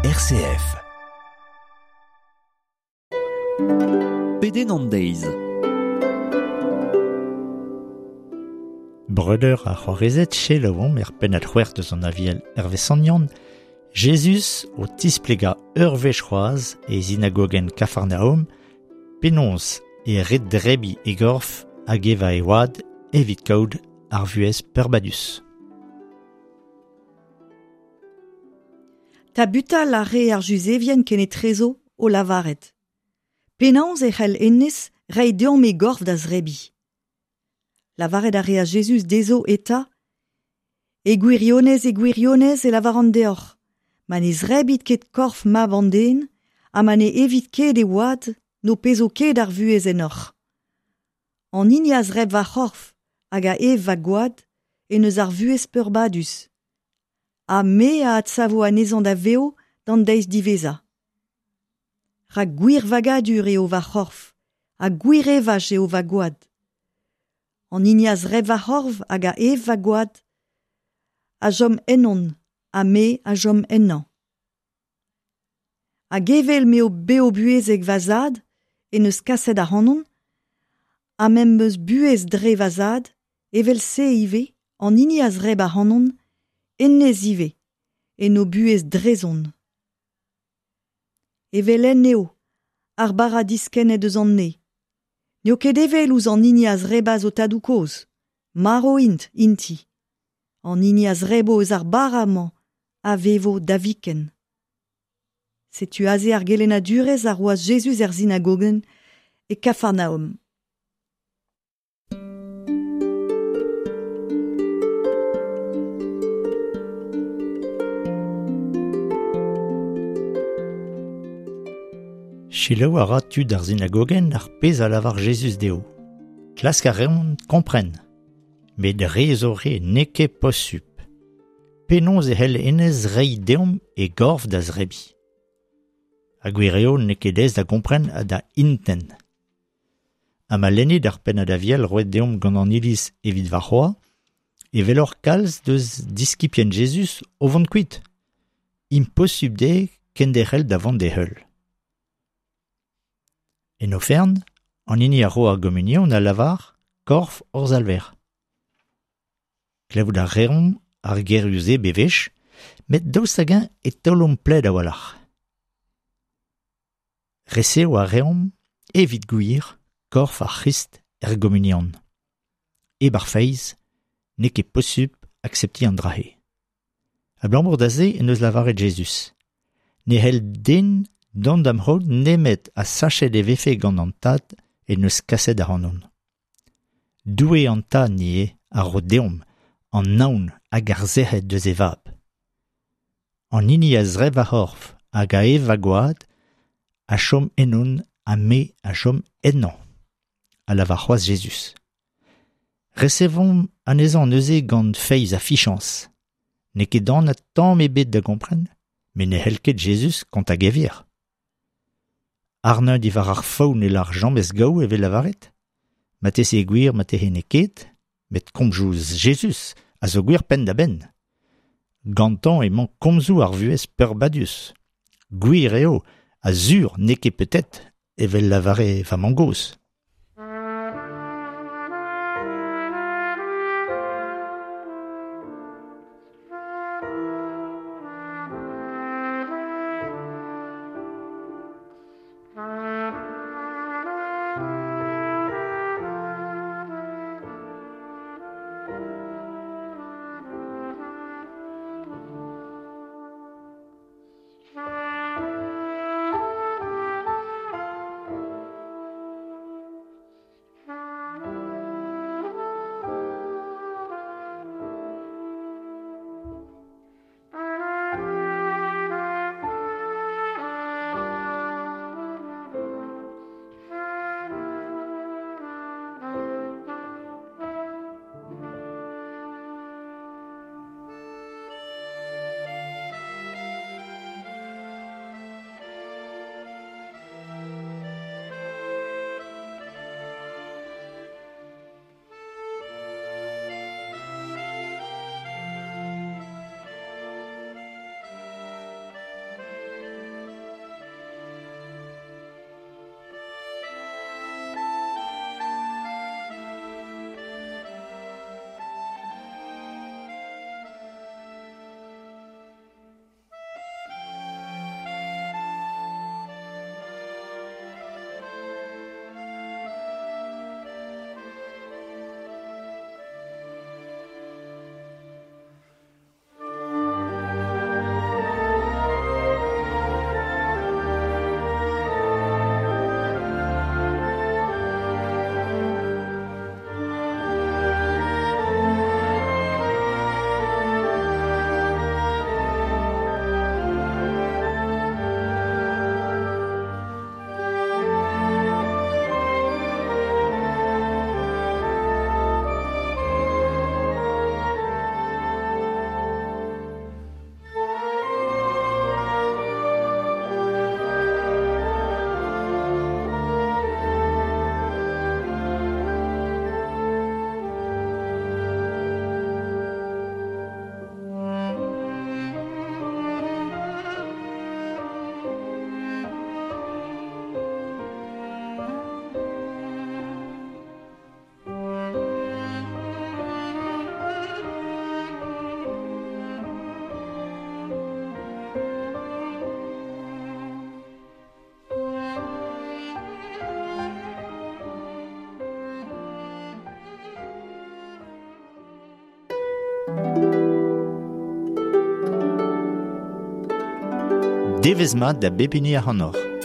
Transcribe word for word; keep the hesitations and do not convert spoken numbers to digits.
R C F. Pedenn an deiz. Breudeur ar c'hoarezed selaouomp er pennad c'hwec'h deus an Aviel Hervé Sant Yann, Jezuz o tisplega ur wech c'hoazh e sinagogenn Kafarnaom, penaos e ret drebiñ e gorf hag evañ e wad evit kaout ar vuhez peurbadus. Tabutal a re ar Juzevien kenetrezo o lavaret. Penaos e c'hell hennezh reiñ deomp e gorf da zrebiñ. Lavaret a rea Jezuz dezho eta, E gwirionez, e gwirionez e lavaran deoc'h, ma ne zrebit ket korf mab an den, ha ma ne evit ket e oad, n'ho pezo ket ar vuhez ennoc'h. An hini a zreb va c'horf hag a ev va gwad en eus ar vuhez peurbadus. Ha me a adsavo anezhañ da vev d'an deiz diwezhañ. Rak gwir vagadur eo va c'horf, ha gwir evaj eo va gwad. An hini a zreb va c'horf hag a ev va gwad, a chom ennon, ha me a chom ennañ. Hag evel m'eo bev buhezek va zad, en eus kaset ac'hanon, ha m'em eus buhez dre va zad, evel se ivez, an hini a zreb ac'hanon, hennezh ivez, en o buhez drezon. Evel-henn eo, ar bara diskennet eus an neñv. N'eo ket evel ouzh an hini a zrebas o tadoù-kozh, marv int inti. An hini a zrebo eus ar bara-mañ a vevo da viken. Setu aze ar gelennadurezh a roas Jezuz er sinagogenn e Kafarnaom. Selaou a ra tud ar sinagogenn ar pezh a lavar Jezuz dezho. Klask a reont kompren. Met re zo re n'eo ket posupl. Penaos e c'hell hennezh reiñ deomp e gorf da zrebiñ. Ha gwir eo n'eo ket aes da gompren ha da intent. Ha ma lennit ar pennad Aviel roet deomp gant an Iliz evit warc'hoazh, e weloc'h kalz deus diskibien Jezuz o vont kuit. Imposupl dezhe kenderc'hel da vont d'e heul. En ofern, an hini a ro ar gomunion a lavar korf hor Salver. Klevout a reomp ar gerioù-se bewech, met daoust hag-eñ e taolomp pled a-walc'h. Resev a reomp, evit gwir, korf ar C'hrist er gomunion. Hep ar feiz, n'eo ket posupl akseptiñ an dra-se. Abalamour da se en deus lavaret Jezuz. Ne c'hell den dont d'am c'haout nemet ha sachet e vefe gant an tad en deus kaset ac'hanon. Doue an tad ivez a ro deomp an naon hag ar sec'hed deus e vab. An hini a zreb va c'horf hag a ev va gwad a chom ennon ha me a chom ennañ, a lavar c'hoazh Jezuz. Resevomp anezhañ neuze gant feiz ha fichañs. N'eo ket anat tamm ebet da gompren, met ne c'hell ket Jezuz kontañ gevier. Arneñ diwar ar faou ne lar james gaou evel lavaret. Marteze eo gwir, marteze n'eo ket, met komzoù Jezuz a zo gwir penn-da-benn. Gantañ emañ komzoù ar vuhez peurbadus. Gwir eo, ha sur n'eo ket peut-être, evel lavare va mamm-gozh. Devezh mat da bep hini ac'hanoc'h.